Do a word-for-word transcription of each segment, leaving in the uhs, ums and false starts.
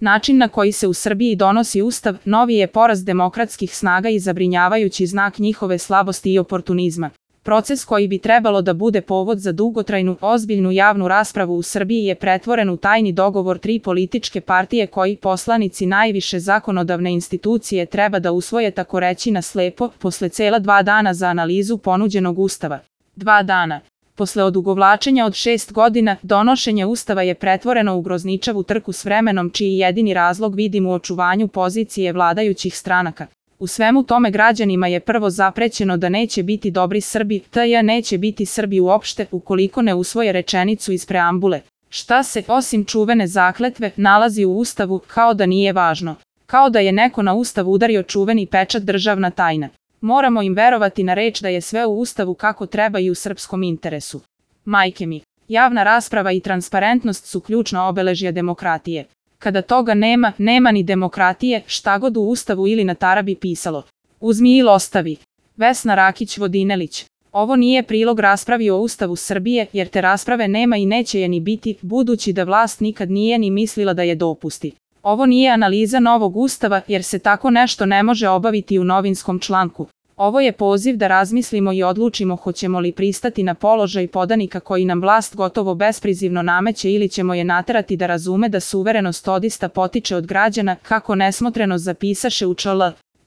Način na koji se u Srbiji donosi ustav novi je poraz demokratskih snaga i zabrinjavajući znak njihove slabosti i oportunizma. Proces koji bi trebalo da bude povod za dugotrajnu, ozbiljnu javnu raspravu u Srbiji je pretvoren u tajni dogovor tri političke partije koji poslanici najviše zakonodavne institucije treba da usvoje tako reći na slepo, posle cela dva dana za analizu ponuđenog ustava. Dva dana. Posle odugovlačenja od šest godina, donošenje ustava je pretvoreno u grozničavu trku s vremenom čiji jedini razlog vidim u očuvanju pozicije vladajućih stranaka. U svemu tome građanima je prvo zaprećeno da neće biti dobri Srbi, tj. neće biti Srbi uopšte ukoliko ne usvoje rečenicu iz preambule. Šta se, osim čuvene zakletve, nalazi u ustavu, kao da nije važno. Kao da je neko na ustav udario čuveni pečat državna tajna. Moramo im verovati na reč da je sve u ustavu kako treba i u srpskom interesu. Majke mi, javna rasprava i transparentnost su ključna obeležja demokratije. Kada toga nema, nema ni demokratije, šta god u ustavu ili na tarabi pisalo. Uzmi ili ostavi. Vesna Rakić-Vodinelić. Ovo nije prilog raspravi o ustavu Srbije, jer te rasprave nema i neće je ni biti, budući da vlast nikad nije ni mislila da je dopusti. Ovo nije analiza novog ustava, jer se tako nešto ne može obaviti u novinskom članku. Ovo je poziv da razmislimo i odlučimo hoćemo li pristati na položaj podanika koji nam vlast gotovo besprizivno nameće ili ćemo je naterati da razume da suverenost odista potiče od građana, kako nesmotreno zapisaše u čl.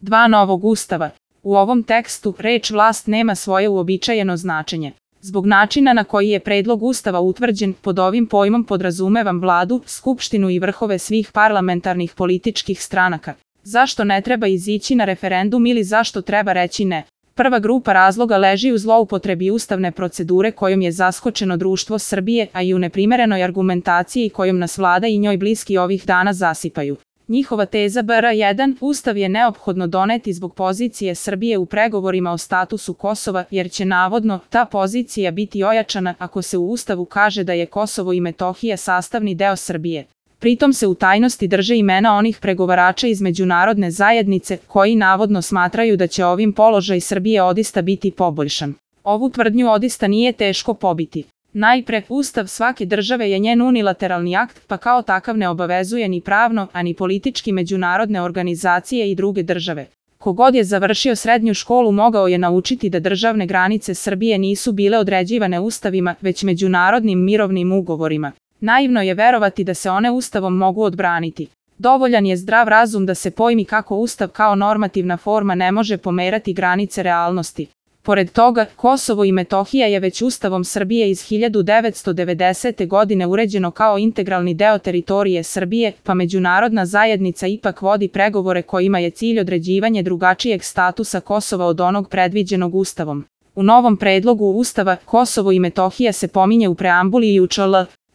dva novog ustava. U ovom tekstu reč vlast nema svoje uobičajeno značenje. Zbog načina na koji je predlog ustava utvrđen, pod ovim pojmom podrazumevam vladu, skupštinu i vrhove svih parlamentarnih političkih stranaka. Zašto ne treba izići na referendum ili zašto treba reći ne? Prva grupa razloga leži u zloupotrebi ustavne procedure kojom je zaskočeno društvo Srbije, a i u neprimerenoj argumentaciji kojom nas vlada i njoj bliski ovih dana zasipaju. Njihova teza br jedan. Ustav je neophodno doneti zbog pozicije Srbije u pregovorima o statusu Kosova, jer će navodno ta pozicija biti ojačana ako se u ustavu kaže da je Kosovo i Metohija sastavni deo Srbije. Pritom se u tajnosti drže imena onih pregovarača iz međunarodne zajednice koji navodno smatraju da će ovim položaj Srbije odista biti poboljšan. Ovu tvrdnju odista nije teško pobiti. Najpre, ustav svake države je njen unilateralni akt, pa kao takav ne obavezuje ni pravno, a ni politički međunarodne organizacije i druge države. Kogod je završio srednju školu mogao je naučiti da državne granice Srbije nisu bile određivane ustavima, već međunarodnim mirovnim ugovorima. Naivno je verovati da se one ustavom mogu odbraniti. Dovoljan je zdrav razum da se pojmi kako ustav kao normativna forma ne može pomerati granice realnosti. Pored toga, Kosovo i Metohija je već ustavom Srbije iz hiljadu devetsto devedesete. godine uređeno kao integralni deo teritorije Srbije, pa međunarodna zajednica ipak vodi pregovore kojima je cilj određivanje drugačijeg statusa Kosova od onog predviđenog ustavom. U novom predlogu ustava Kosovo i Metohija se pominje u preambuli i u čl.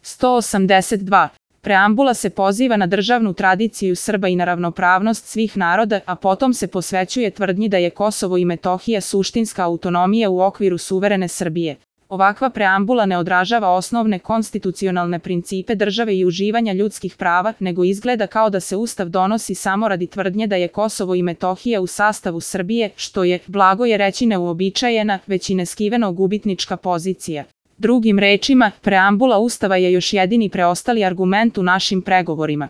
sto osamdeset dva. Preambula se poziva na državnu tradiciju Srba i na ravnopravnost svih naroda, a potom se posvećuje tvrdnji da je Kosovo i Metohija suštinska autonomija u okviru suverene Srbije. Ovakva preambula ne odražava osnovne konstitucionalne principe države i uživanja ljudskih prava, nego izgleda kao da se ustav donosi samo radi tvrdnje da je Kosovo i Metohija u sastavu Srbije, što je, blago je reći, neuobičajena, već i neskiveno gubitnička pozicija. Drugim rečima, preambula ustava je još jedini preostali argument u našim pregovorima.